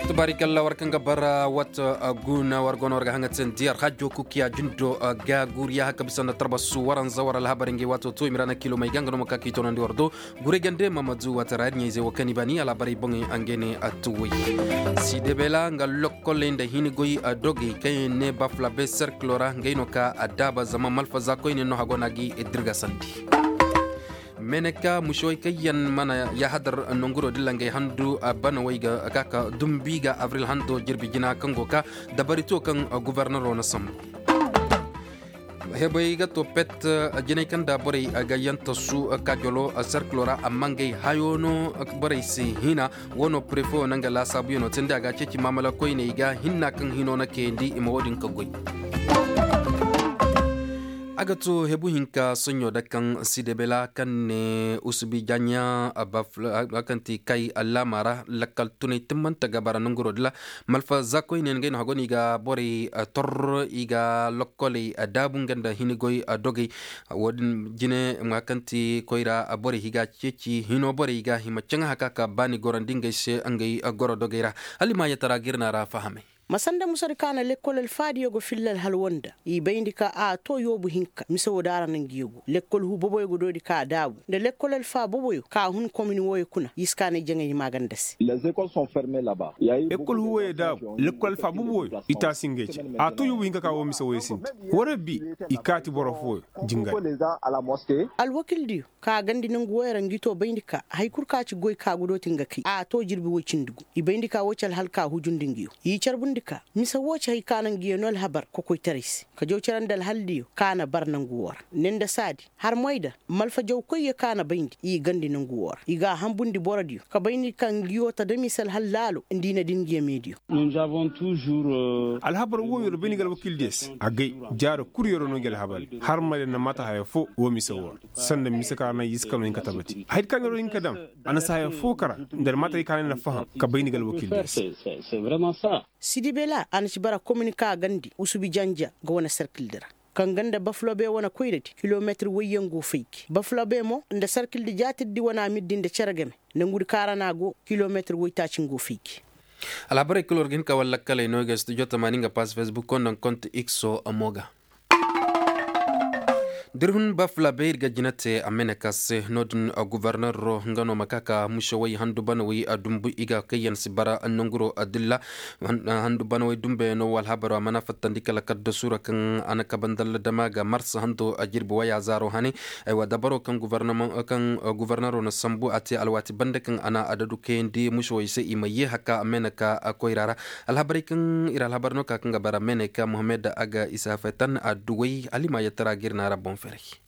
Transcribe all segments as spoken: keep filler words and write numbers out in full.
Tubaarikalla war kaŋ ga bara wata guna war go no war ga haŋa te nda alhajo kukiya jindo ga guriya haka bisa nda tarbasu waranza war alhabar ngey waato to i ma ra na kilo may ga nga no ma ka k'i toonandi war do. Guray gande mamadu wata ra ir ɲayzey wo kaŋ i baani alhabarey boŋey nga ne a tuwey. Sidebela nga lokkoley nda hini goy dogey kaŋ yaŋ ne bafulabe serkilo ra ngey no ka a daaba zama malfaza koyne no hago no a ga i dirgasandi. Meneka musewey kaŋ yaŋ mana yahadar nonguro dilla ngey handu banawey ga ka ka dumbi ga abril hando jirbi jina kaŋ go ka dabari to kaŋ gubarnaro na sambu. Hebey ga to pet jinay kaŋ da borey ga yantasu kajolo serkilo ra amma ngey hayo no borey si hina. Wo no prefe wo na nga laasaabuyaŋo te nda a ga ceeci maamala koyney ga hinna kaŋ hino na kayandi i ma wo-din ka goy. A ga to hebu hinka soɲɲo da kaŋ sidebela kaŋ ne usubi jaɲa a kaŋ ti kay allaama ra lakkal tunay timmanta ga bara nanguro dila. Malfa za koyne ngey no hago no i ga borey tor i ga lokkoley daabu nga nda hini goy dogey. Wo-din jine ma kaŋ ti koyra borey i ga ceeci hino borey i ga hima caŋ haka ka baani gorandi ngey se ngey goro dogey ra. Hala i ma yatara ga ir na ra fahamay. Ma sanda musadi ka na lekkol alfaadiyo go filla alhalwa nda i bayndi ka a to yoobu hinka mise wo da a ra na ngiyo go lekkol hu boboyo go doodi ka a daabu nda lekkol alfa boboyo ka a hun komini wooyo kuna i si ka na i jaŋay hima ganda se. Lekkol hu wooyo daabu lekkol alfa boboyo i taasi ngey ce a to yoobu hinka ka woo mise wooyo sinti. War bi i kaati boro fooyo jingari. Alwakildiyo ka gandi nangu woy ra ngi to bayndi ka hari kul ka ci goy ka gudo ti nga kay a to jirbi woy cindi gu i bayndi ka woy ci alhal ka hujundi ngiyo i carbundi ka mise wo ci hari ka na ngiyo no alhabar kokoytaray se ka jaw carandi alhaldiyo ka na bar nangu wo ra ne nda saadi har moy da malfa jawkoyyo ka na bayndi i gandi nangu wo ra i ga a hambundi borodiyo ka bayndi ka ngiyo ta da mise alhal laalo nda i na din ngiyo meediyo. Alhabar wooyo ra bayndi ga alwakildiyo se agay jaara kul yoro no ngi alhabar har moy da na mata haya fo woo mise wo ra sanda mise ka ra na i si kano hin ka tabati hayadi ka neeroo hin ka dam. A na si haya foo kara nda almaataray ka ne na faham ka bay ni ga alwakiil diya se. Sidibela a na ci bara komin ka gandi usubi janja ga wane serkildi ra kaŋ ganda bafulabe wane koyradi kilometir wayyaŋ go fayki bafulabe mo nda serkildi jaatirdi wane amirdi nda cere game nangudi ka ra no a go kilometir waytaaci nga go fayki. Alhabarey kul war ga hin ka wala lakkaley no i ga studio tamaani nga pass facebook konda nga konti ikso mo ga. Da ir hun bafulabe ir ga jina te a mene ka se no- din gubarnaro nga no ma ka ka musewey handu banawey dumbu i ga kayyaŋ si bara nanguro dilla. Handu banawey dumbuyaŋo wo alhabaro a mana fattandi kala kaddasu ra kaŋ a na kabandalla dama ga marsa hando jirbi waya zaaro hane. Aywa dabaro kaŋ gubarnaro na sambu a te alwaati banda kaŋ a na adadu kayandi musewey se i ma ye haka a mene ka koyra ra. Alhabarey kaŋ ir alhabar no ka kaŋ ga bara meeney ka mohammed a ga isa fetan adduwey alima yatara ga ir na ra boŋ ferey.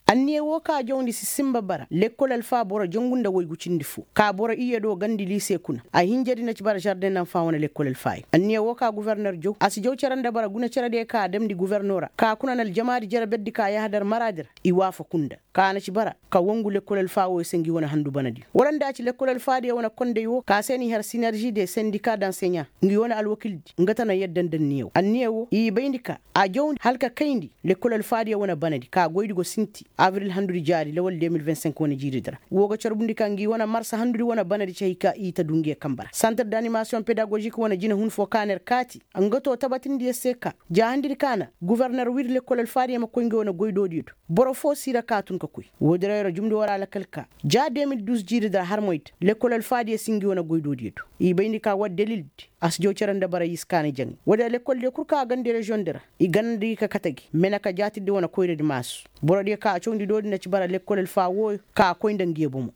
Anniya wo ka jawndi si simba bara lekkol alfa boro jangu nda waygu cindi fo ka boro iyye do gandi liise kuna a hinjadi na ci bara žarden nanfa wane lekkol alfaayo anniya wo ka guverner jaw a si jaw cere nda bara guna cerediyo ka a damndi guverno ra ka kuna na aljamaadi jere berdi ka yahadar maraadi ra. I waafaku nda ka na ci bara ka wangu lekkol alfaawoyo se ngi wane handu banadiyo wala nda a ci lekkol alfaadiyo wane kondey wo ka se n'i har sinerži de sendika danseɲa ngi wane alwakildi nga tana yadda nda anniya wo anniya wo i bayndi ka a jawndi hala ka kayndi lekkol alfaadiyo wane banadi ka goydi go sinti abril handudi jaari lawal de mil vingt cinq wane jiiridi ra. Wo ga carbundi ka ngi wane marsa handudi wane banadi ci hay ka i ta du ngiyo kamba ra santir d'animasiyoŋ pedagožik wane jinahun fo ka na ir kaati nga to tabatindiyo se ka ja handidi ka na guverner wiri lekkol alfaadiyo ma koy ngi wane goydoodiyo do. Boro fo si ra ka tun ka koy woodin ra yer jumndi war a lakal ka ja de mil duus jiiri dira har moy da lekkol alfaadiyo si ngi wane goydoodiyo do. I bayndi ka war dalildi a si jaw cere nda bara i si kaani jaŋay woodin ra lekkoldiyo kul ka a gandi reziyoŋdi ra i ganandi ka kate gi mene ka jaatirdi wane koyradi maasu. Borodiyo ka a cawndi doodi na ci bara lekkol alfa wooyo ka a koy nda ngiyo bomo.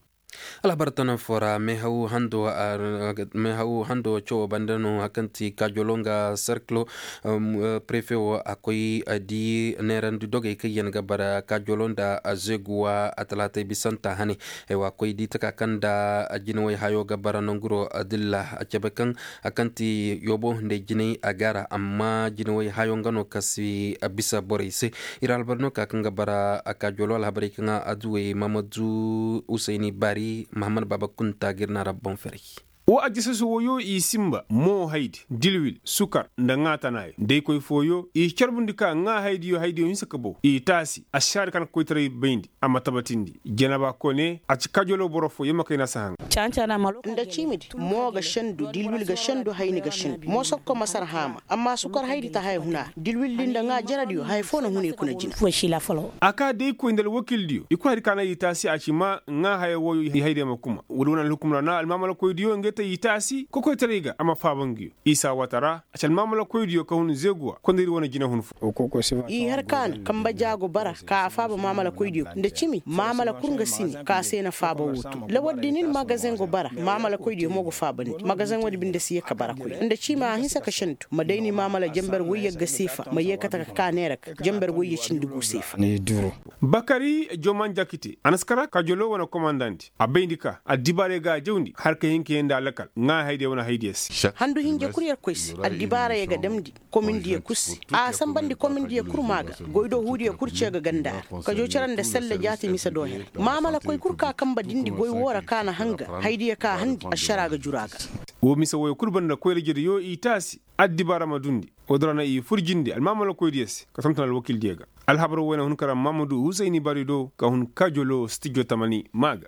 Alhabar tana foo ra meehaw hando cawo banda no hari kaŋ ti kajolo nga serkilo. Prefe wo a koy di neerandi dogey kaŋ yaŋ ga bara kajolo nda zeguwa a talaatay bisanta hane. Aywa a koy di taka kaŋ nda jinawey hayo ga bara nanguro dilla a cabe kaŋ hari kaŋ ti yoobo nda ay jinay a gaara amma jinawey hayo nga no ka si bisa borey se. Ir alhabar no ka kaŋ ga bara a kajolo alhabarey kaŋ adduwey mamadu usayni baari mahammad baaba kunta ga ir na ra boŋ ferey. Woo ajjasasu wooyoo i sinba moo haydi, dilwil, sukar nda ŋaa tanaayo nda i koy fooyoo i carbundi ka ŋaa haydiyo haydiyo hinsa ka bow i taasi ašaari ka na ka koytaray bayndi. A ma tabatindi janaba kone a ci kaajoloo boro foo yamma kay na si haŋ. Nda ciimidi moo ga sendu dilwil ga sendu hayni ga sendu moo sokko masar haama. Amma sukar haydi ta haya huna dilwildi nda ŋaa jerediyo haya foo na huna i kuna jina. A kaa day koy nda alwakildiyo i koy haydi ka na i taasi a ci maa ŋaa haya wooyo i haydiyo ma kuma wala wane alhukumra na almaamalakoydiyo ngey ta i taasi kokoytaray ga a ma faaba nguyo. Isa waata ra a ci almaamalakoydiyo ka hun zeeguwa kondaydi wane jinahun foo. I har ka na kamba jaago bara ka a faaba maamalakoydiyo nda cimi maamala kul nga si ne ka se na faaba woo to lawardi ni ni magazeŋ go bara maamalakoydiyo mo go faabandi magazeŋ woodi binde si yee ka bara koy nda cimi a hinsa ka sendu ma day ni maamala jenber woyye ga seefa ma yee kate ka ka neera ga jenber woyye cindi gu seefa. Bakari joman jakite a na si kara kaajoloo wane komandandi a bayndi ka addibaarey ga a jawndi har ka hin ka yee nda alakal ŋaa haydiya wane haydiya se. Handu hinja kul yer koy se addibaarey ga damndi komindiyo kul se a sanbandi komindiyo kul maa ga goydoo huudiyo kul cee ga ganda ra kajoo cere nda selle jaati mise do her maamalakoy kul ka kanba dindi goy woo ra ka na hanga haydiyo ka handi ašaraa ga juru a ga. Woo mise wooyo kul banda koyra-jereyoo i taasi addibaara ma dundi. Woodi ra na i fur jinde almaamalakoydiyo se ka tonton alwakildiyo ga. Alhabar woo na hun kara maamadu husayni bari do ka hun kaajoloo stijo tamani maa ga.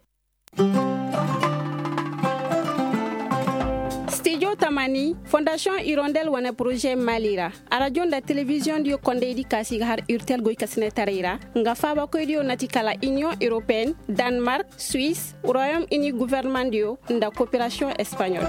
Stijo tamani fondasiyoŋ irondel wane poroze mali ra. Arajo nda telebiziyoŋdiyo kondaydi ka se i ga har urtel goykasinetaray ra nga faabakoydiyo na ti kala iniyoŋ europeen, danmark, suwis, royom ini gofornemandiyo nda koperasiyoŋ espaɲol.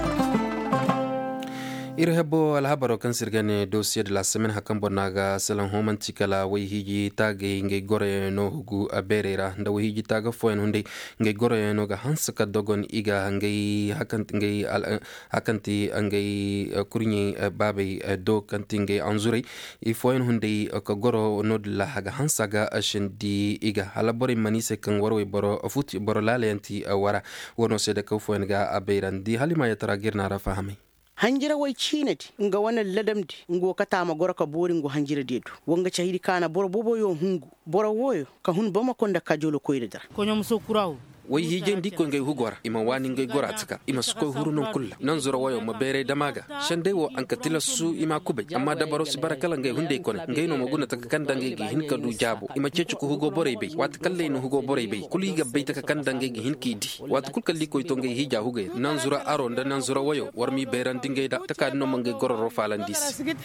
Ir hebo alhabaroo kaŋ se ir ga ne dosiye de la semen hakan boro no a ga salaŋ hõ manti kala wayhiiji taagay ngey goroyaŋ no hugu beerey ra nda wayhiiji taaga fooyaŋ hunday. Ngey goroyaŋ no ga hanse ka dogon i ga ngey hakanti ngey kurɲey baabey do kaŋ ti ngey anzurey. Ifooyaŋ hunday ka goro no-din ra a ga hanse a ga sindi i ga hala borey mana i se kaŋ warwey boro futi boro laalayaŋ ti wara. Wano se da kaw fooyaŋ ga a bayrandi hala i ma yatara ga ir na ra fahamay. Hanjirawey ciinadi nga wane ladamdi nga wo kate a ma goro ka boori nga wo hanjiradiyo do. Wa nga cahidi ka na boro boboyo hungu boro wooyo ka hun bamako nda kajolo koyradi ra. Wayhiijey nda i koy ngey hugo ra i ma waani ngey gora taka i ma si koy huru non kul ra nanzura wayo ma beeray dam a ga. Sendey wo a nka tilasu i m'a kubay amma dabaro si bara kala ngey hunday kone ngey no ma guna taka kaŋ nda ngey ga hin ka du jaabo i ma ceeci ka hugo borey bay waati kaŋ ra i na hugo borey bay kulu i ga bay taka kaŋ nda ngey ga hin k'i di. Waati kul kaŋ ra i koy to ngey hiija hugey ra nanzura aro nda nanzura wayo war m'i bayrandi ngey da taka din no ma ngey gororo faalandi i se.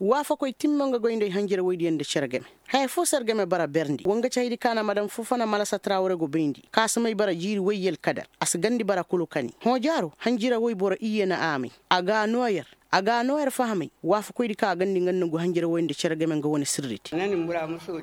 Waafakoy timma nga goy nda ay hanjira woydiyaŋ nda cere game. Haya fo se ar game bara berndi wa nga cahidi ka na madam fofana malasa trawre go bayndi ka si may bara jiiri woy yel kadar a si gandi bara kulu kani hõ jaaro hanjira woy boro iyye na a may. A ga a noo yer a ga a noo yer fahamay. Waafakoydi ka a gandi nga nangu hanjira woy nda cere game nga wane sirriti.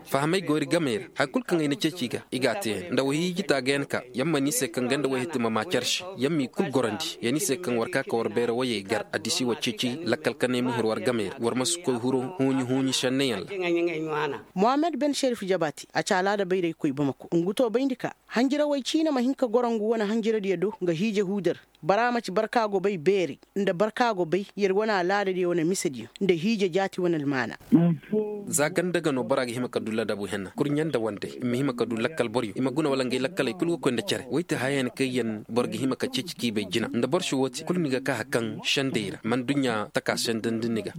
Fahamay go ir gamey ra haya kul kaŋ ay na ceeci i ga i ga a te yaŋ nda wayhiiji taagayaŋ ka yaŋ ma ni se kaŋ ganda wayhiti ma maa care se. Yaŋ m'i kul gorandi ya ni se kaŋ war ka ka war bayra woyey gar addisi wa ceeci lakkal kanay ma huru war gamey ra war ma si koy huru huuɲi huuɲi senneyaŋ ra. Mohammed ben sherif jabati a ci alaada bayraykoy bamako ngu to bayndi ka hanjirawey ciina ma hin ka goro ngu wane hanjiradiyo do nga hiije huudar. Bara ma ci barka go bay beeri nda barka go bay yer wane alaadadiyo wane misediyo nda hiije jaati wane almaana. Za ganda ga no bora ga hima ka du ladabu henna kurɲe nda wande i ma hima ka du lakkal boryo i ma guna wala ngey lakkaley kul ga koy nda care woy ti hayayaŋ kaŋ yaŋ boro ga hima ka ceeci k'i bay jina nda boro si woo te kul ni ga ka hari kaŋ sendey ra mana duɲɲa taka sendandi ni ga.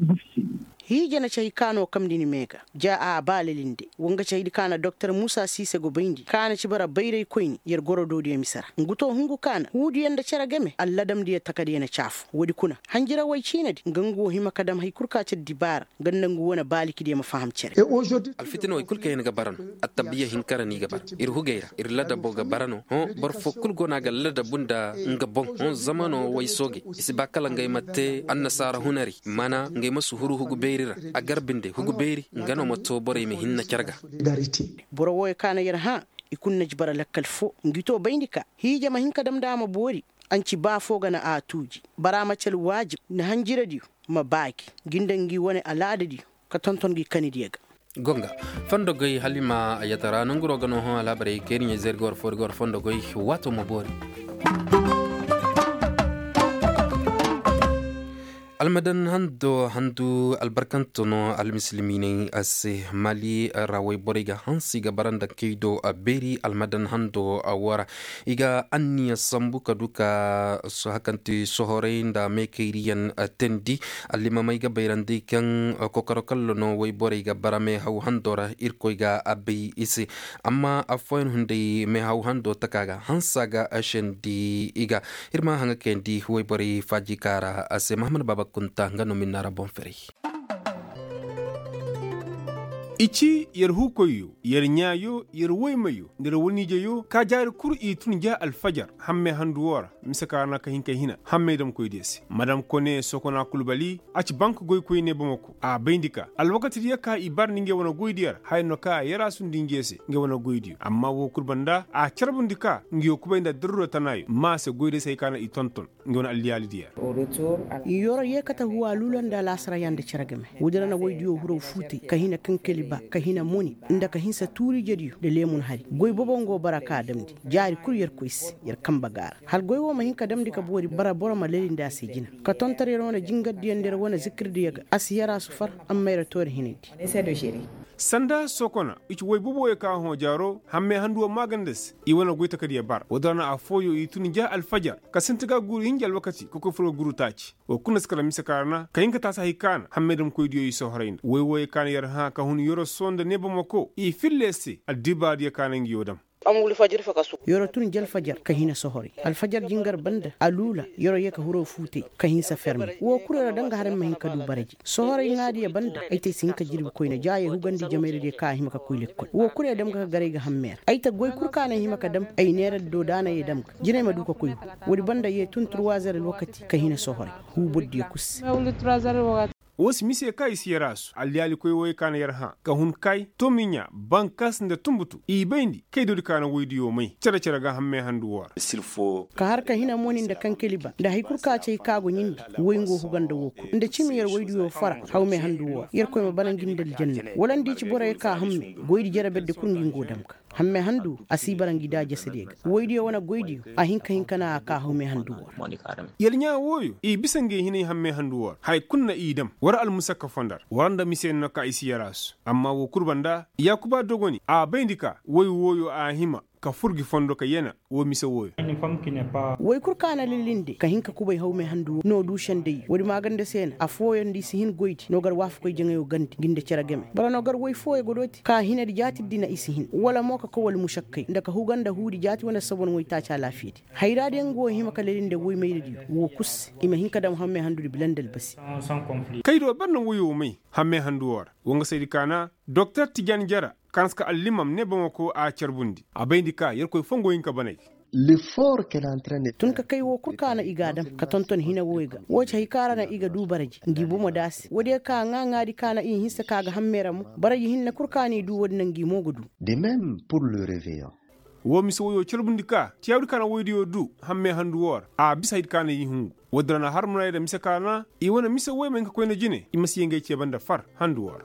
Hiije na cahi ka no kamndi ni mee ga ja a baalilinde wa nga cahidi ka na doktor muusa siise go bayndi ka na ci bara bayraykoyni yer goro doodiyo mise ra ngu to hungu ka na huudiyo nda cere game alladamdiyo takadiyo na caafu woodi kuna hanjirawey ciinadi nga ngu wo hima ka dam hari kul ka ci addibaara nga nda ngu wane baalikidiyo ma faham cere. Alfitina wey kul kaŋ yaŋ ga bara no attabiya hinka ra no i ga bara ir hugey ra ir ladabo ga bara no hõ boro fo kul go no a ga ladabu nda nga boŋ hõ zamano way sooge i si ba kala ngey ma te annasaara hunari mana ngey ma si huru hugu beeri ra a gar binde hugu beeri nga no ma to borey ma hinna care ga. Boro wooyo ka na yer hã i kulu na ji bara lakkal fo ngi to bayndi ka hiija ma hin ka dam nda a ma boori. Anci ba fo ga na a tuuji bara ma ci alwaajib nda hanjiradiyo ma baagi ngi nda ngi wane alaadadiyo ka tonton ngi kanidiyo ga. Gonga fondogey hala i ma a yatara nanguroo ga no hõ alhabarey kayri ɲey zayri ga war foori ga war fondogey waatoo ma boori. Almadan hando handu albarkanto no almisilimiiney se. Mali ra wayborey ga hanse i ga bara nda kaydo beeri almadan hando woo ra. I ga anniya sambu ka du ka hakanti sohorey nda meekayriyaŋ teendi. Allimamey ga bayrandi kaŋ kokoro kallo no wayborey ga bara meehaw hando ra irkoy ga a bay i se. Amma affooyaŋ hunday meehaw hando taka ga hansa ga sendi i ga. Ir ma haŋa kayandi wayborey faaji kaara a se mahamad baaba kunta nga no minna ra boŋ ferey. I ci yer huukoyyo, yer ɲaayo, yer woymayo nda yer waniijeyo ka jaari kul i tun ja alfajar hammey handu woo ra. Mise ka ra na ka hin ka hina hammey damkoydiyo se madam kone sokona kulbali. A ci bank goykoyne bamako a bayndi ka alwakatidiyo ka i bar nda ngey wane goydiyo ra haya no ka yeraasu nda ngey se ngey wane goydiyo amma woo kul banda a carbundi ka nguyo kubay nda darura tanaayo ma se goydiyo se hay ka na i tonton. Nga wane alliyaali diya. Yoro yee kate huwa luula nda alaasara yaŋ nda cere game. Woodi ra na woydiyo huraw fuutay ka hina kankali ba ka hina moni nda ka hinsa tuuri ijediyo nda leemun hari goy bobo nga wo bara ka a damndi. Jaari kul yerkoy se yer kanbe ga a ra hala goy wo ma hin ka damndi ka boori bara boro ma lelindi a se jina. Ka tonton yer wane jingardiyo nda yer wane zikirdiyo ga a si yer a sufar. Amma yer too yer hinandi. Sanda sokona i ci woy boboyo ka hõ jaaro hammey handu woo maaganda se. I wane goy takadiyo bar woodi ra na affooyo i tun ja alfajar ka sinti ga guuru hinja alwakati ka koy fur ga guuru taaci. Woo kul na si kala mise ka ra na ka hin ka taasi hay ka na hammey damkoydiyo i sohorey nda woy wooyo ka na yer hã ka hun yoro soo nda neebamako i filla yer se addibaadiyo ka na nguyo dam. Yoro tun ja alfajar ka hina sohorey alfajar jingar banda a luula. Yoro yee ka huroo fuutay ka hinsa ferme woo kul yoro daŋ ga har ay ma hin ka du baraji. Sohorey ŋaadiyo banda ay te ay si hin ka jirbi koyne ja yee hugandi jamayra diyo ka a hima ka koy lekkol woo kul yee dam ga ka gar ay ga hammey ra ay te goy kul ka na ay hima ka dam. Ay neera do da na yee dam ga jina ay ma du ka koy hu. Woodi banda yee tun turwaazer alwakati ka hina sohorey. Huu bordiyo kul se. Woo si mise ka i si yer a su alliyaalikoy wooyo ka na yer hã ka hun kay tomiɲa bankas nda tunbutu i bayndi kaydoodi ka na woydiyo may cere-cere ga hammey handu woo ra. Ka har ka hina moni nda kankali ba nda hari kul ka ci ay ka go ɲindi. Woy nga wo huga nda woo kul nda cimi yer woydiyo fara hawmey handu woo ra yerkoy ma bara ngi nda aljanna wala nda i ci boroyo ka hamme. Goydi jere berdi kul ngi nga wo dam ga hamme handu a si bara ngi da jasadiyo ga woydiyo wane goydiyo a hin ka hin ka na a ka hawme handu woo ra. Yer ɲaa wooyo i bisa ngey hinay hamme handu woo ra haya kul na i dam war almusakka fondar war nda mise no ka i si yaraasu. Amma woo kul banda yaakuba dogoni a bayndi ka woy wooyo a hima ka fur gi fondo ka yana. Woo mise wooyo. Woy kul ka na lilinde ka hin ka kubay hawme handu woo no du sendey woodi maaganda se na affooyaŋ nda i si hin goydi no gar waafakoy jaŋayo gandi ngi nda cere game boro no gar woy fooyo ga dooti ka hinadi jaatidi na i si hin wala mo ka koy wala mušakkay nda ka huga nda huudi jaati wane sabon woytaaci alaafiyadi. Hayraadiyo nga wo hima ka lelinde woymayradiyo woo kul se i ma hin ka dam hammey handudi bila nda albasi. Kay do ber na woyo may hammey handu woo ra. Woo nga saydi ka na doktor tijan jara ka na si ka allimam ne bamako a carbundi a bayndi ka yerkoy foo nga wo hin ka banay. Tun ka kay woo kul ka na i ga a dam ka tonton hina wooyo ga woo ci hari ka ra na i ga du baraji ngi bomo da a se woodiyo ka ŋaa ŋaadi ka na i hinsa ka ga hammey ra mo baraji hinne kul ka na i du woodi na ngi mo ga du. De même pour le reveillon. Woo mise woyo carbundi ka tiyaawdi ka na woydiyo du hammey handu woo ra a bisa haydi ka na i hungu. Woodi ra na har munayda mise ka na i wane mise woy ma hin ka koyna jine i ma si yee ngey cee banda far handu woo ra.